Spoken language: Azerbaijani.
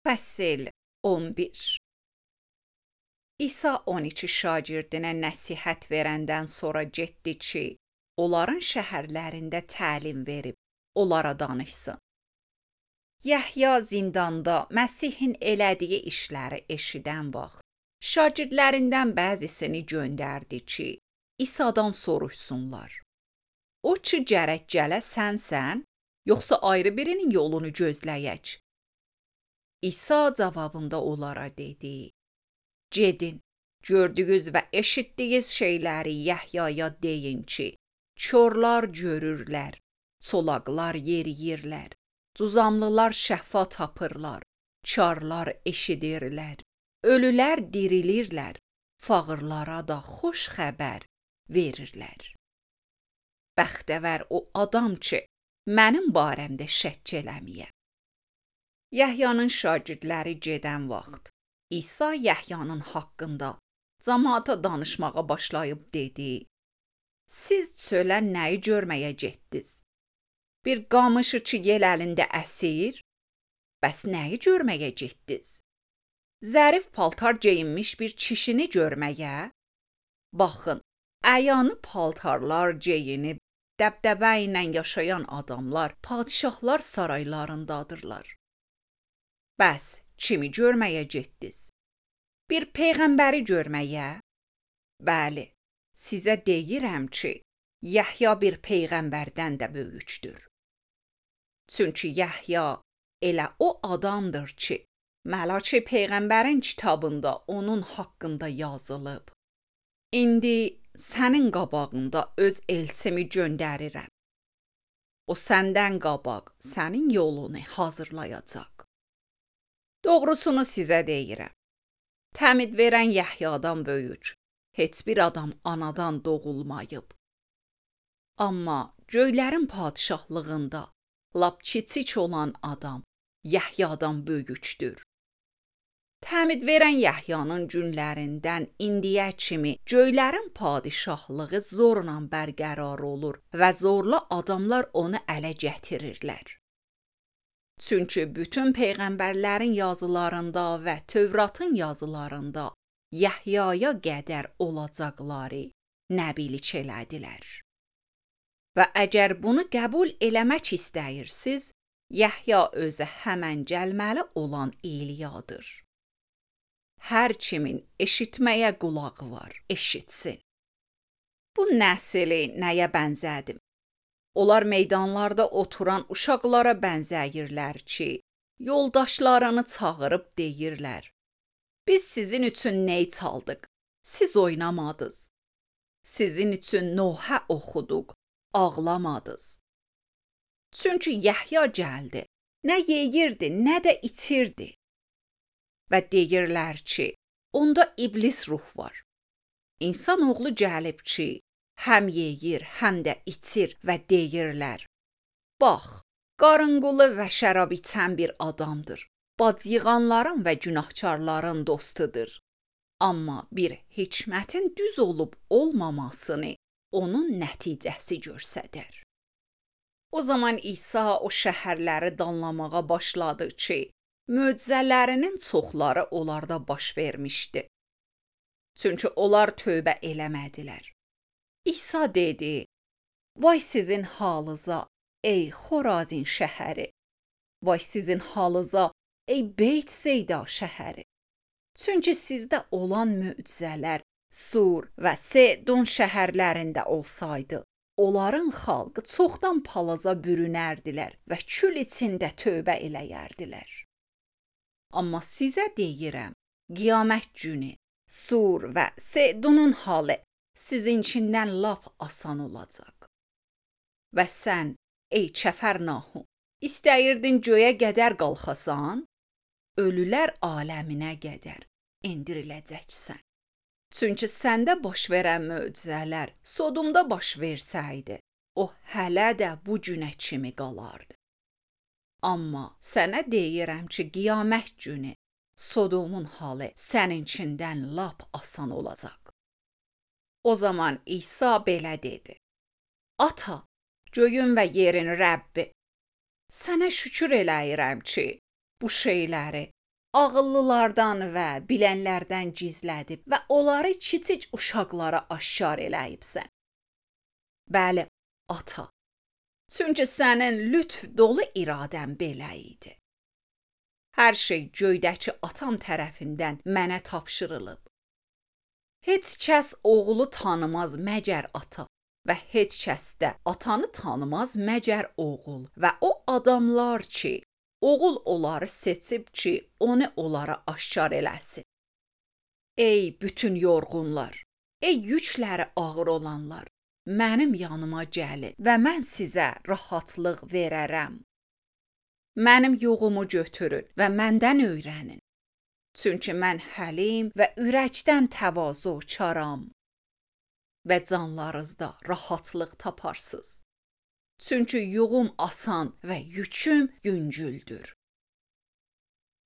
Fəsil 11. İsa 12 şagirdinə nəsihət verəndən sonra getdi ki, onların şəhərlərində təlim verib, onlara danışsın. Yəhya zindanda Məsihin elədiyi işləri eşidən vaxt, şagirdlərindən bəzisini göndərdi ki, İsa'dan soruşsunlar. O ki gərək gələ sənsən, yoxsa ayrı birinin yolunu gözləyək? İsa cavabında onlara dedi, gedin, gördüyünüz və eşitdiyiniz şeyləri Yəhyaya deyin ki, körlər görürlər, çolaqlar yeriyirlər, cuzamlılar şəfa tapırlar, karlar eşidirlər, ölülər dirilirlər, fağırlara da xoş xəbər verirlər. Bəxtəvər o adam ki, mənim barəmdə şəkk eləməyə. Yəhyanın şagirdləri gedən vaxt, İsa Yəhyanın haqqında cəmaata danışmağa başlayıb dedi, siz çölə nəyi görməyə getdiniz? Bir qamışı ki yel əlində əsir? Bəs nəyi görməyə getdiniz? Zərif paltar geyinmiş bir kişini görməyə? Baxın, əyanı paltarlar geyinib, dəbdəbə ilə yaşayan adamlar, padişahlar saraylarındadırlar. Bəs kimi görməyə getdiniz? Bir peyğəmbəri görməyə? Bəli, sizə deyirəm ki, Yəhya bir peyğəmbərdən də böyükdür. Çünki Yəhya elə o adamdır ki, Məlaki peyğəmbərin kitabında onun haqqında yazılıb. İndi sənin qabağında öz elçimi göndərirəm. O səndən qabaq sənin yolunu hazırlayacaq. Doğrusunu sizə deyirəm. Təmid verən Yəhyadan böyük, heç bir adam anadan doğulmayıb. Amma göylərin padişahlığında lap kiçik olan adam Yəhyadan böyükdür. Təmid verən Yəhyanın günlərindən indiyə kimi göylərin padişahlığı zorla bərqərar olur və zorla adamlar onu ələ gətirirlər. Çünki bütün peyğəmbərlərin yazılarında və Tövratın yazılarında Yəhyaya qədər olacaqları nəbilik elədilər. Və əgər bunu qəbul eləmək istəyirsiz, Yəhya özü həmən gəlməli olan İliyadır. Hər kimin eşitməyə qulağı var, eşitsin. Bu nəsli nəyə bənzədim? Onlar meydanlarda oturan uşaqlara bənzəyirlər ki, yoldaşlarını çağırıb deyirlər, biz sizin üçün ney çaldıq, siz oynamadınız. Sizin üçün Nohə oxuduq, ağlamadınız. Çünki Yəhya gəldi, nə yeyirdi, nə də içirdi. Və deyirlər ki, onda iblis ruh var. İnsan oğlu gəlib ki, həm yeyir, həm də içir və deyirlər, bax, qarınqulu və şərab içən bir adamdır, bac yığanların və günahkarların dostudur. Amma bir hikmətin düz olub olmamasını onun nəticəsi göstərir. O zaman İsa o şəhərləri danlamağa başladı ki, möcüzələrinin çoxları onlarda baş vermişdi. Çünki onlar tövbə eləmədilər. İsa dedi, vay sizin halınıza, ey Xorazin şəhəri, vay sizin halınıza, ey Beyt-Seyda şəhəri. Çünki sizdə olan möcüzələr Sur və Sedon şəhərlərində olsaydı, onların xalqı çoxdan palaza bürünərdilər və kül içində tövbə eləyərdilər. Amma sizə deyirəm, qiyamət günü Sur və Sedonun halı sizinkindən lap asan olacaq. Və sən, ey Kəfərnahum, istəyirdin göyə qədər qalxasan, ölülər aləminə qədər endiriləcəksən. Çünki səndə baş verən möcüzələr Sodomda baş versəydi, o hələ də bu günə kimi qalardı. Amma sənə deyirəm ki, qiyamət günü Sodomun halı səninkindən lap asan olacaq. O zaman İsa belə dedi, Ata, göyün və yerin Rəbbi, sənə şükür eləyirəm ki, bu şeyləri ağıllılardan və bilənlərdən gizlədib və onları kiçik uşaqlara aşkar eləyibsən. Bəli, ata. Çünki sənin lütf dolu iradən belə idi. Hər şey göydəki atam tərəfindən mənə tapşırılıb. Heç kəs oğlu tanımaz məgər ata və heç kəs də atanı tanımaz məgər oğul və o adamlar ki, oğul onları seçib ki, onu onlara aşkar eləsin. Ey bütün yorğunlar, ey yükləri ağır olanlar, mənim yanıma gəlin və mən sizə rahatlıq verərəm. Mənim yoğumu götürün və məndən öyrənin. Çünki mən həlim və ürəkdən təvazökaram və canlarınızda rahatlıq taparsınız. Çünki yuğum asan və yüküm yüngüldür.